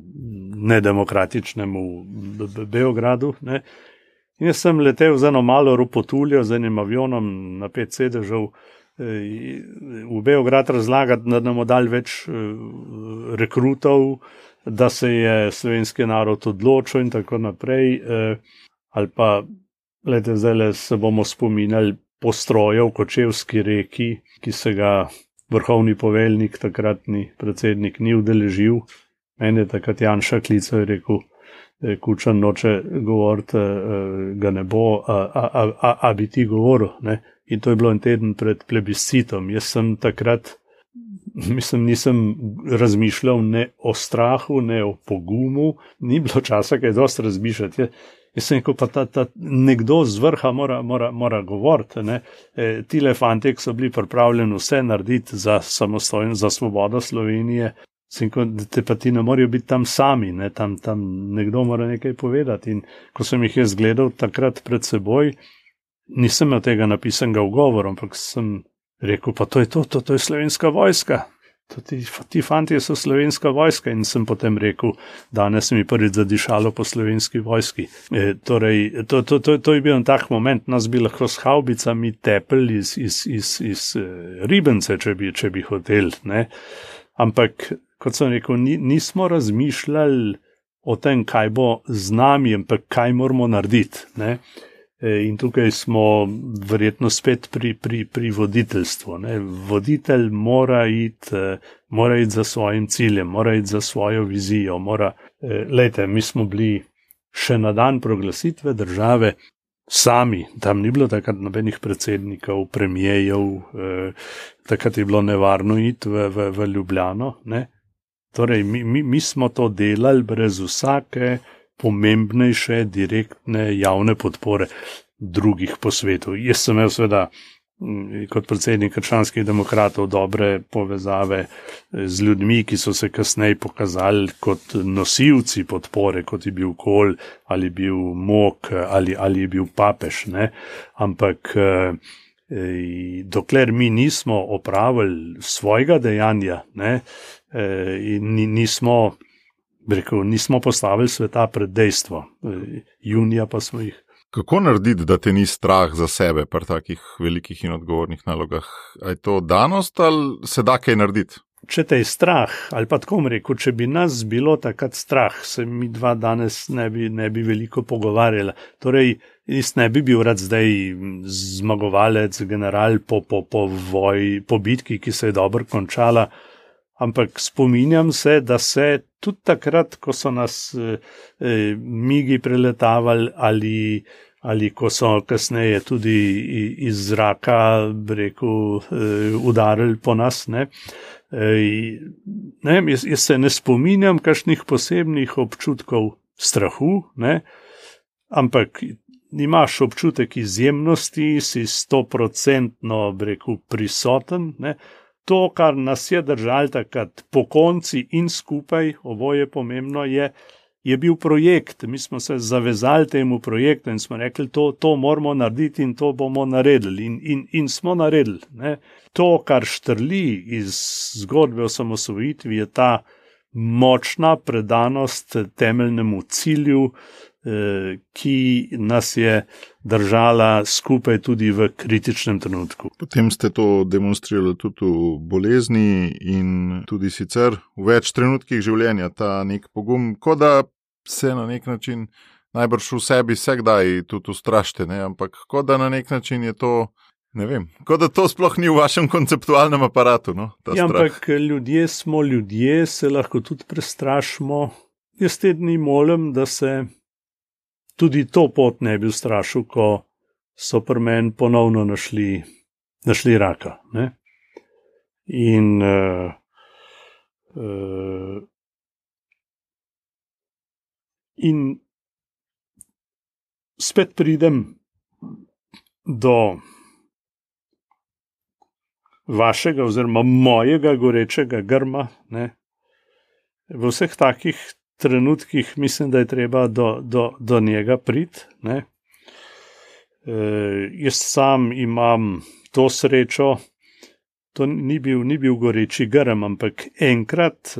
nedemokratičnemu Beogradu, ne. In jaz sem letel z eno malo ropotuljo, z enim avionom na 5 sedežev v Beograd razlagati, da nam dali več rekrutov, da se je slovenski narod odločil in tako naprej. Ali pa, gledajte, zdaj se bomo spominjali postroja v Kočevski reki, ki se ga vrhovni poveljnik, takratni predsednik, ni udeležil. Meni je takrat Janša klical in rekel, Kučan noče govoriti, ga ne bo, a bi ti govoril, ne? In to je bilo en teden pred plebiscitom. Jaz sem takrat, nisem razmišljal ne o strahu, ne o pogumu, ni bilo časa kaj dosti razmišljati. Jaz sem rekel, pa ta nekdo z vrha mora govoriti, ne? Tile fantje, ki so bili pripravljeni vse narediti za samostojno, za svobodo Slovenije, sem rekel, da pa ti ne morajo biti tam sami, ne? Tam nekdo mora nekaj povedati. In ko sem jih jaz gledal takrat pred seboj, nisem imel tega napisanega v govoru, ampak sem rekel, pa to je slovenska vojska. Ti fantje so slovenska vojska. In sem potem rekel, danes mi prvič zadišalo po slovenski vojski. Torej, to je bil en tak moment, nas bi lahko s havbicami tepli iz Ribence, če bi hotel, ne. Ampak, kot sem rekel, nismo razmišljali o tem, kaj bo z nami, ampak kaj moramo narediti, ne. In tukaj smo verjetno spet pri voditeljstvu, ne. Voditelj mora iti za svojim ciljem, mora iti za svojo vizijo, lejte, mi smo bili še na dan proglasitve države sami, tam ni bilo takrat nobenih predsednikov, premijejev, takrat je bilo nevarno iti v Ljubljano, ne. Torej, mi smo to delali brez vsake pomembnejše, direktne, javne podpore drugih po svetu. Jaz sem imel seveda kot predsednik krščanskih demokratov dobre povezave z ljudmi, ki so se kasneje pokazali kot nosilci podpore, kot je bil Kohl, ali bil Mok, ali je bil papež, ne. Ampak dokler mi nismo opravili svojega dejanja, ne, in nismo postavili sveta pred dejstvo. Junija pa smo jih. Kako narediti, da te ni strah za sebe pri takih velikih in odgovornih nalogah? A je to danost ali se da kaj narediti? Če te je strah, ali pa tako rekel, če bi nas bilo takrat strah, se mi dva danes ne bi veliko pogovarjala. Torej, jaz ne bi bil rad zdaj zmagovalec, general po bitki, ki se je dobro končala, ampak spominjam se, da se tudi takrat, ko so nas migi preletavali ali ko so kasneje tudi iz zraka, udarili po nas, ne. Jaz se ne spominjam kakšnih posebnih občutkov strahu, ne, ampak imaš občutek izjemnosti, si 100% prisoten, ne. To, kar nas je držalo takrat pokonci in skupaj, oboje pomembno, je bil projekt. Mi smo se zavezali temu projektu in smo rekli, to moramo narediti in to bomo naredili. In smo naredili, ne. To, kar štrli iz zgodbe o samosvojitvi, je ta močna predanost temeljnemu cilju, ki nas je držala skupaj tudi v kritičnem trenutku. Potem ste to demonstrirali tudi v bolezni in tudi sicer v več trenutkih življenja, ta nek pogum, kot da se na nek način najbrž v sebi vsakdaj tudi ustrašite, ne? Ampak kot da na nek način je to, ne vem, kot da to sploh ni v vašem konceptualnem aparatu, no, ta strah. Ampak ljudje smo ljudje, se lahko tudi prestrašimo. Jaz te dni molim, da se tudi to pot ne bi ustrašil, ko so pri meni ponovno našli raka, ne. In spet pridem do vašega oziroma mojega gorečega grma, ne. V vseh takih trenutkih mislim, da je treba do njega priti, ne. Jaz sam imam to srečo, to ni bil goreči grm, ampak enkrat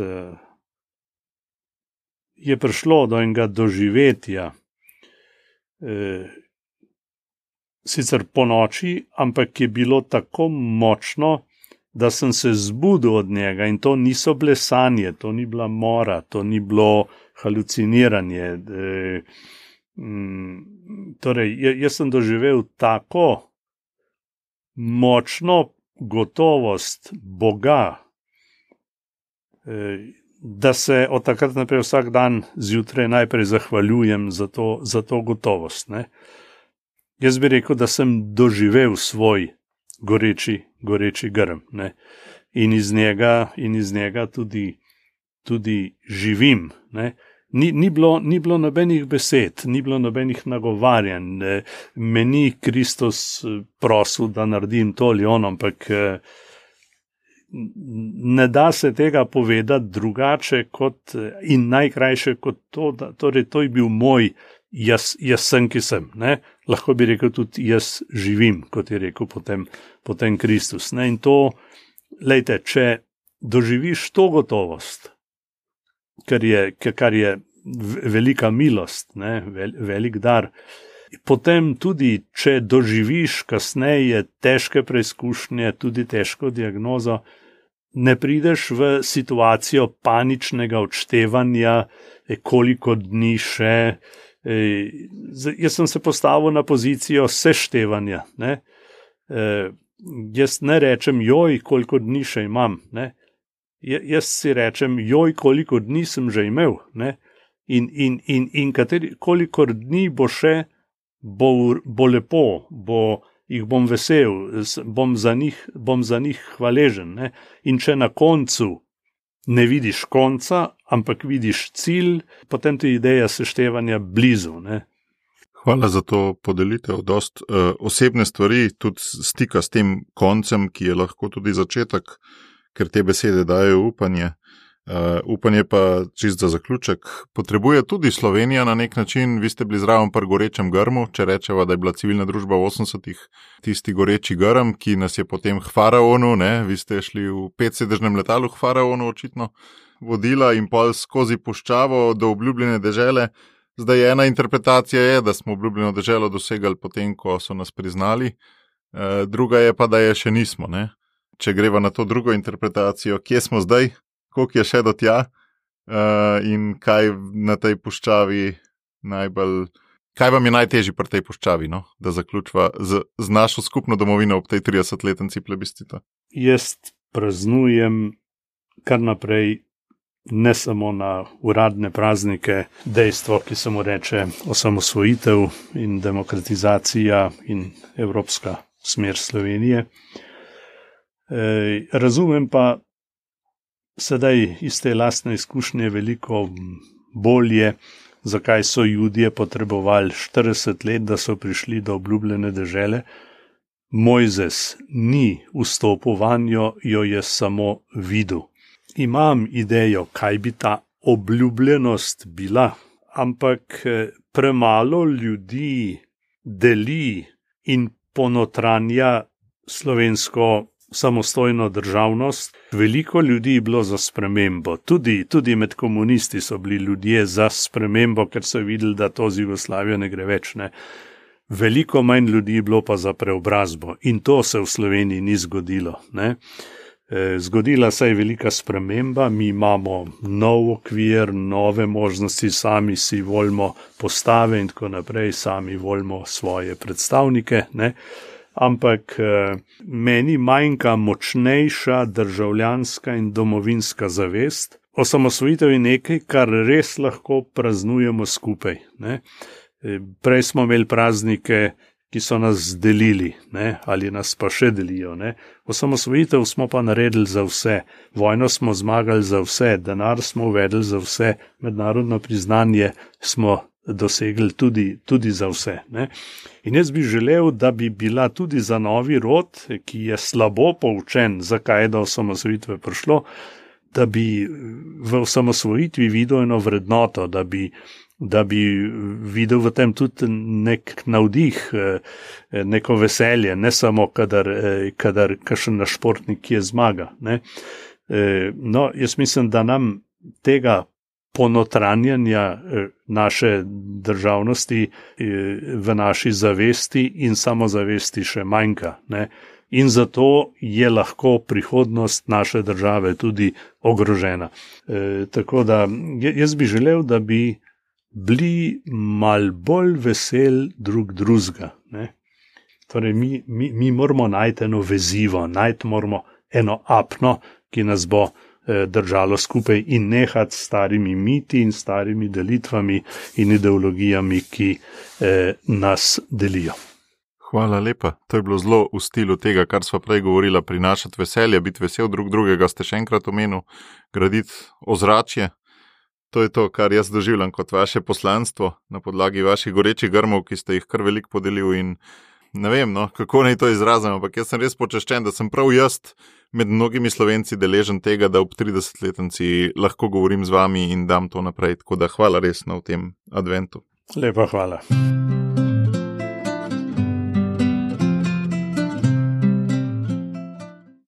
je prišlo do enega doživetja, sicer po noči, ampak je bilo tako močno, da sem se zbudil od njega in to niso bile sanje, to ni bila mora, to ni bilo haluciniranje. Torej, jaz sem doživel tako močno gotovost Boga, da se od takrat naprej vsak dan zjutraj najprej zahvaljujem za to gotovost. Ne. Jaz bi rekel, da sem doživel svoj goreči grm, ne. In iz njega tudi živim. Ne. Ni bilo nobenih besed, ni bilo nobenih nagovarjanj, me ni Kristus prosil, da naredim to ali ono, ampak ne da se tega povedati drugače in najkrajše kot to, torej to je bil moj jaz sem, ki sem. Ne? Lahko bi rekel tudi jaz živim, kot je rekel potem Kristus. Ne? In to, lejte, če doživiš to gotovost, kar je velika milost, ne? Velik dar, potem tudi, če doživiš kasneje težke preizkušnje, tudi težko diagnozo, ne prideš v situacijo paničnega odštevanja, koliko dni še. Jaz sem se postavil na pozicijo seštevanja. Ne? Jaz ne rečem, joj, koliko dni še imam. Ne? Jaz si rečem, joj, koliko dni sem že imel. Ne? In koliko dni bo še, bo lepo, jih bom vesel, bom za njih hvaležen. Ne? In če na koncu ne vidiš konca, ampak vidiš cilj, potem ti je ideja seštevanja blizu. Ne? Hvala za to podelitev. Dost osebne stvari, tudi stika s tem koncem, ki je lahko tudi začetek, ker te besede dajo upanje. Upanje pa, čist za zaključek, potrebuje tudi Slovenija na nek način. Vi ste bili zraven pri gorečem grmu, če rečeva, da je bila civilna družba v 80-ih tisti goreči grm, ki nas je potem k faraonu, ne, vi ste šli v 5-sedežnem letalu k faraonu očitno vodila in pol skozi puščavo do obljubljene dežele. Zdaj ena interpretacija je, da smo obljubljeno deželo dosegali potem, ko so nas priznali, druga je pa, da je še nismo. Ne. Če greva na to drugo interpretacijo, kje smo zdaj? Koliko je še do tja in kaj na tej puščavi kaj vam je najtežje pri tej puščavi, no? Da zaključva z našo skupno domovino ob tej 30-letnici plebiscita? Jaz praznujem kar naprej, ne samo na uradne praznike, dejstvo, ki se mu reče osamosvojitev in demokratizacija in evropska smer Slovenije. Razumem pa sedaj iz te lastne izkušnje veliko bolje, zakaj so Judje potrebovali 40 let, da so prišli do obljubljene dežele. Mojzes ni vstopil vanjo, jo je samo videl. Imam idejo, kaj bi ta obljubljenost bila, ampak premalo ljudi deli in ponotranja slovensko samostojno državnost. Veliko ljudi je bilo za spremembo. Tudi med komunisti so bili ljudje za spremembo, ker so videli, da to z Jugoslavijo ne gre več. Ne. Veliko manj ljudi je bilo pa za preobrazbo. In to se v Sloveniji ni zgodilo. Ne. Zgodila se je velika sprememba, mi imamo nov okvir, nove možnosti, sami si volimo postave in tako naprej, sami volimo svoje predstavnike, ne. Ampak meni manjka močnejša državljanska in domovinska zavest. Osamosvojitev je nekaj, kar res lahko praznujemo skupaj. Ne? Prej smo imeli praznike, ki so nas delili, ne? Ali nas pa še delijo. Ne? Osamosvojitev smo pa naredili za vse. Vojno smo zmagali za vse, denar smo uvedli za vse, mednarodno priznanje smo dosegli tudi za vse. Ne? In jaz bi želel, da bi bila tudi za novi rod, ki je slabo poučen, zakaj je do osamosvojitve prišlo, da bi v osamosvojitvi videl eno vrednoto, da bi videl v tem tudi nek navdih, neko veselje, ne samo kadar kakšen naš športnik je zmaga. Ne? No, jaz mislim, da nam tega ponotranjanja naše državnosti v naši zavesti in samozavesti še manjka, ne. In zato je lahko prihodnost naše države tudi ogrožena. Tako da jaz bi želel, da bi bili mal bolj vesel drug drugega. Torej, mi moramo najti eno vezivo, najti moramo eno apno, ki nas bo držalo skupaj in nehati s starimi miti in starimi delitvami in ideologijami, ki nas delijo. Hvala lepa. To je bilo zelo v stilu tega, kar sva prej govorila, prinašati veselje, biti vesel drug drugega, ste še enkrat omenil, graditi ozračje. To je to, kar jaz doživljam kot vaše poslanstvo na podlagi vaših gorečih grmov, ki ste jih kar veliko podelil in ne vem, no, kako naj to izrazim, ampak jaz sem res počaščen, da sem prav jaz med mnogimi Slovenci deležen tega, da ob 30-letnici lahko govorim z vami in dam to naprej. Tako da hvala res na v tem adventu. Lepa hvala.